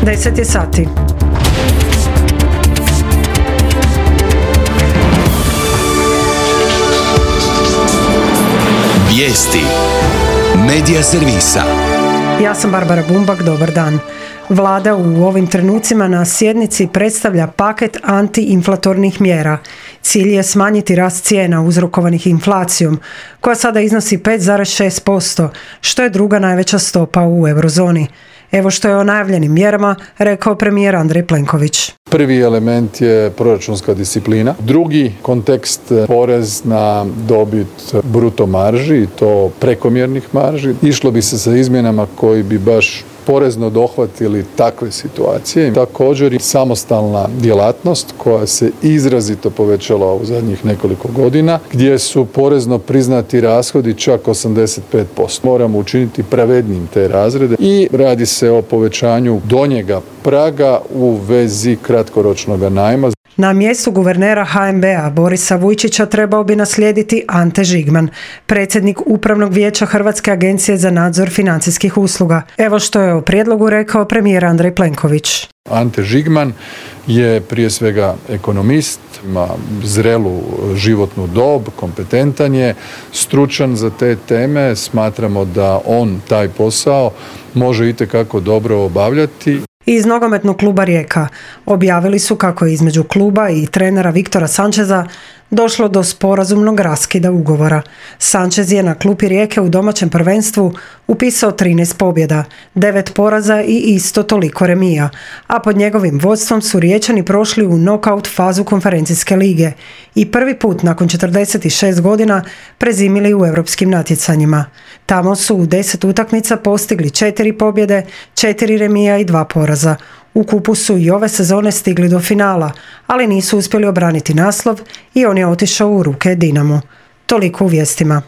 10 je sati. Vijesti Medija servisa. Ja sam Barbara Bumbak, dobar dan. Vlada u ovim trenucima na sjednici predstavlja paket antiinflatornih mjera. Cilj je smanjiti rast cijena uzrokovanih inflacijom, koja sada iznosi 5,6%, što je druga najveća stopa u eurozoni. Evo što je o najavljenim mjerama rekao premijer Andrej Plenković. Prvi element je proračunska disciplina. Drugi kontekst porez na dobit bruto marži i to prekomjernih marži. Išlo bi se sa izmjenama koji bi baš porezno dohvatili takve situacije. Također i samostalna djelatnost koja se izrazito povećala u zadnjih nekoliko godina, gdje su porezno priznati rashodi čak 85%. Moramo učiniti pravednim te razrede i radi se o povećanju donjega praga u vezi kratkoročnog najma. Na mjestu guvernera HNB-a Borisa Vujčića trebao bi naslijediti Ante Žigman, predsjednik Upravnog vijeća Hrvatske agencije za nadzor financijskih usluga. Evo što je o prijedlogu rekao premijer Andrej Plenković. Ante Žigman je prije svega ekonomist, ima zrelu životnu dob, kompetentan je, stručan za te teme. Smatramo da on taj posao može itekako dobro obavljati. Iz nogometnog kluba Rijeka objavili su kako je između kluba i trenera Viktora Sančeza došlo do sporazumnog raskida ugovora. Sančez je na klupi Rijeke u domaćem prvenstvu upisao 13 pobjeda, 9 poraza i isto toliko remija, a pod njegovim vodstvom su Riječani prošli u nokaut fazu konferencijske lige i prvi put nakon 46 godina prezimili u europskim natjecanjima. Tamo su u 10 utakmica postigli 4 pobjede, 4 remija i 2 poraza. U kupu su i ove sezone stigli do finala, ali nisu uspjeli obraniti naslov i on je otišao u ruke Dinamu. Toliko u vijestima.